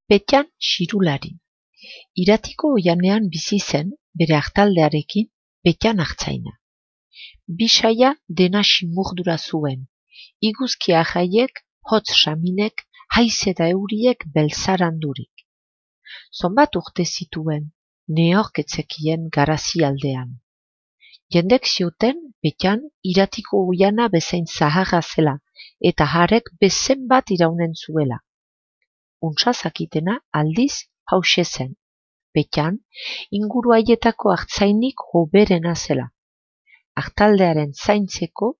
Petjan xirulari. Iratiko oihanean bizi zen, bere artaldearekin, Petjan artzaina. Bisaia dena simurdura zuen, iguzkia jaiek, hotz saminek, haize eta euriek belzarandurik. Zonbat urte zituen, neork etzekien garazi aldean. Jendek zioten, Petjan iratiko oihana bezain zaharra zela, eta harek bezen bat iraunen zuela. Untsa zakitena aldiz hause zen. Petjan inguru haietako artzainik hoberena zela. Artaldearen zaintzeko,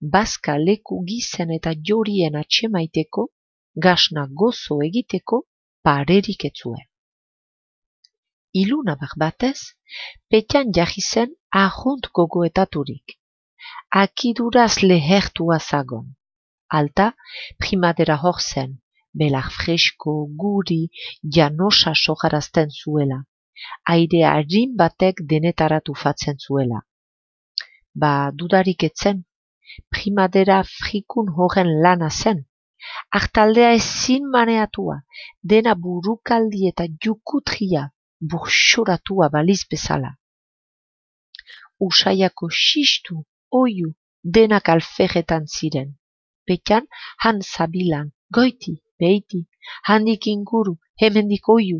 bazka leku gizen eta jorien atxemaiteko, gasna gozo egiteko, parerik etzuen. Ilunabar batez, Petjan jarri zen ahunt gogoetaturik. Akiduraz lehertua zagon. Alta, primadera hor zen, belar fresko, guri, janosa sojarazten zuela. Aire harin batek denetaratu fatzen zuela. Dudarik etzen, primadera frikun horren lana zen. Artaldea ezin maneatua, dena burukaldi eta jukutria, burxoratua baliz bezala. Usaiako xistu, oiu, denak alferretan ziren. Petjan han zabilan, goiti, beiti, handik inguru, hemendik oiu.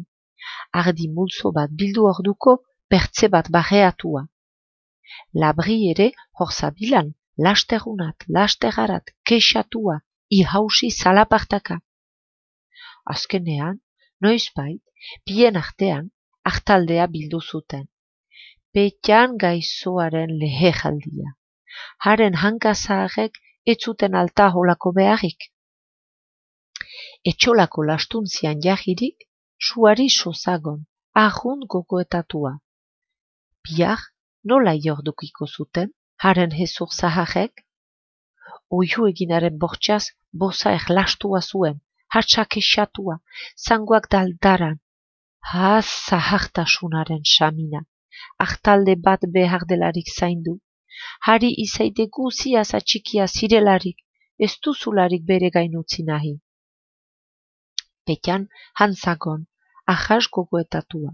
Ardi multzo bat bildu orduko, pertze bat barreatua. Labri ere hor zabilan, lasterunat, lasterharat, kexatua, ihausi zalapartaka. Azkenean, noizbait, bien artean, artaldea bildu zuten. Petjan gaizoaren leheraldia. Haren hankazaharek ez zuten alta holako beharrik. Etxolako lastuntzian jahirik, suari sozagon, ahunt gogoetatua. Bihar, nola iordukiko zuten, haren hezur zaharek? Oihu eginaren bortxaz, boza erlastua zuen, hatsak esatua, zangoak daldaran. Zahartasunaren samina, artalde bat behar delarik zaindu. Hari izaite guziaz atxikia zirelarik, ez duzularik bere gain utzi nahi. Petjan hantzagon, ahas gogoetatua.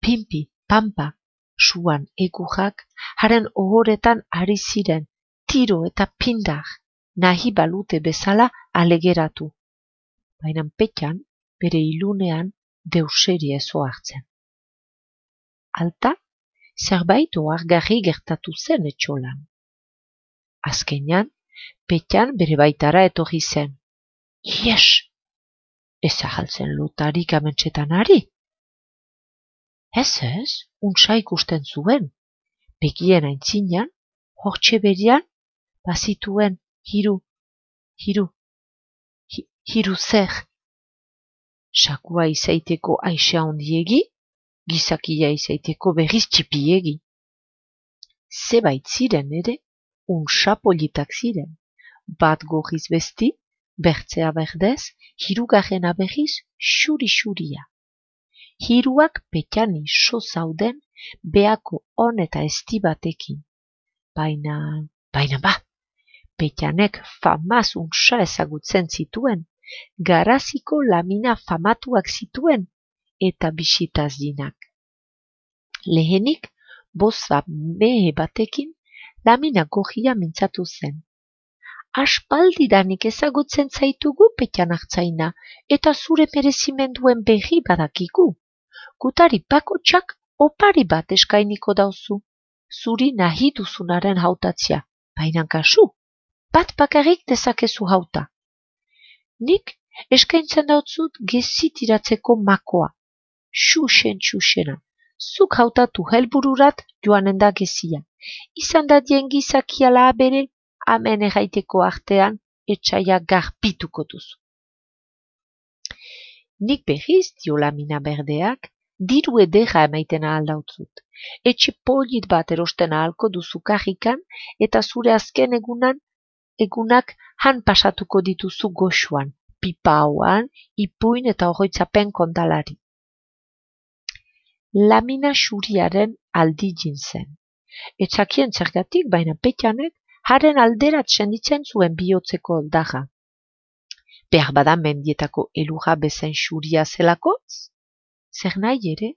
Pimpi, pampa, suan egurrak, haren ohoretan ari ziren, tiro eta pindar, nahi balute bezala alegeratu. Baina Petjan, bere ilunean, deuseri ezo hartzen. Alta, zerbait ohargarri gertatu zen etxolan. Azkenean, Petjan bere baitara etorri zen. Ies! Ez ahaltzen lotarik amentsetan ari? Ez, untsa ikusten zuen. Begien aintzinan, hortxe berian, bazituen hiru zer. Sakua izaiteko aixa ondiegi, gizakia izaiteko berriz txipiegi. Zebait ziren ere, untsa politak ziren. Bat gorriz besti, bertzea berdez, hirugarrena berriz xuri-xuria. Hiruak Petjani so zauden beako on eta esti batekin. Baina Petjanek famaz untsa ezagutzen zituen, garaziko lamina famatuak zituen eta bisitaz dinak. Lehenik, boza mehe batekin, lamina gorria mintzatu zen. Aspaldidanik ezagutzen zaitugu Petjan artzaina, eta zure merezimenduen berri badakigu. Gutari bakotxak opari bat eskainiko dauzu, zuri nahi duzunaren hautatzea, baina kasu, bat bakarrik dezakezu hauta. Nik eskaintzen dautzut gezitiratzeko makoa, xuxena, zuk hautatu helbururat joanen da gezia, izan dadien gizakiala bere, amen erraiteko artean etxaia garpituko duzu. Nik berriz dio lamina berdeak, diru edera emaiten ahaldautzut. Etxe polit bat erosten ahalko duzu karrikan eta zure azken egunak han pasatuko dituzu goxuan, pipa hauan, ipuin eta horroitzapen kontalari. Lamina xuriaren aldijin zen. Etzakien zergatik, baina Petjanek haren alderat senditzen zuen bihotzeko oldarra. behar bada mendietako elurra bezain xuria zelakoz? Zer nahi ere,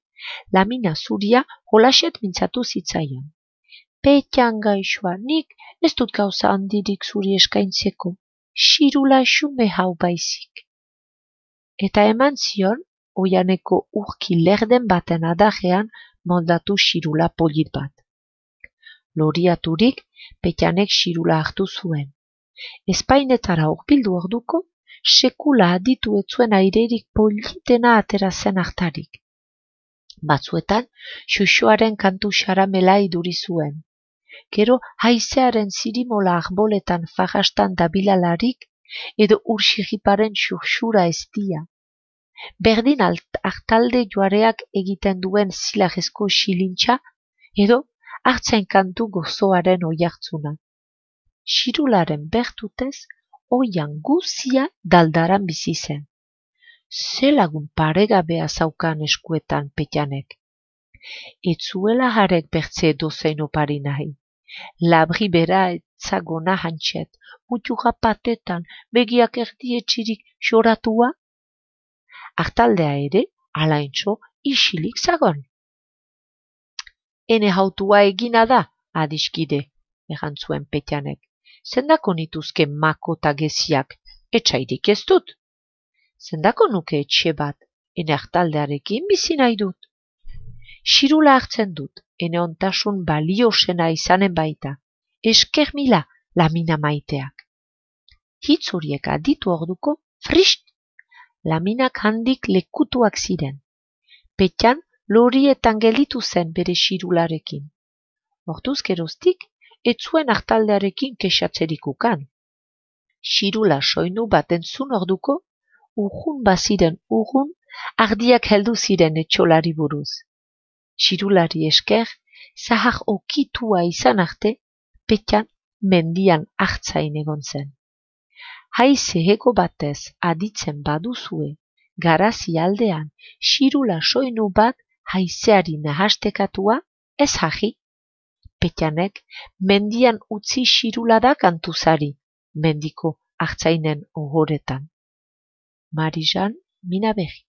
lamina zuria holaxet mintzatu zitzaion. Petxan gaixoa, nik ez dut gauza handirik zuri eskaintzeko, xirula xume hau baizik. Eta eman zion, oianeko urki lerden baten adarrean moldatu xirula polit bat. Loriaturik, Petxanek xirula hartu zuen. Espainetara hurbildu orduko, sekula aditu ez zuen airerik politena atera zen hartarik. Batzuetan, xuxoaren kantu xaramela iduri zuen. Gero haizearen zirimola arboletan farrastan dabilalarik, edo ursirriparen xurxura eztia. Berdin hartalde joareak egiten duen zilarrezko xilintxa, edo hartzain kantu gozoaren oihartzuna. Xirularen bertutez, oian guzia daldaran bizi zen. Ze lagun paregabea zaukan eskuetan Petxanek. Etzuela harek bertze dozein opari nahi. Labri bera etzagona hantxet, muturra patetan, begiak erdietxirik xoratua. Hartaldea ere, alaintxo, isilik zagon. Ene hautua egina da, adiskide, erantzuen Petxanek. Zendako nituzke makota geziak, etxairik ez dut. Zendako nuke etxe bat, ene hartaldearekin bizi nahi dut. Xirula hartzen dut, ene ontasun baliosena izanen baita. Esker mila, lamina maiteak. Hitz horiek aditu orduko, frist! Laminak handik lekutuak ziren. Petxan lorietan gelditu zen bere xirularekin. Orduz geroztik, ez zuen hartaldearekin kexatzerik ukan. Xirula soinu bat entzun orduko, urrun baziren urrun, ardiak heldu ziren etxolari buruz. Xirulari esker, zahar okitua izan arte, Petxan mendian hartzain egon zen. Haize hego batez aditzen baduzue, garazi aldean, xirula soinu bat haizeari nahastekatua, ez jahi. Petxanek mendian utzi xirula da kantuzari, mendiko hartzainen ohoretan. Marijan Minaberri.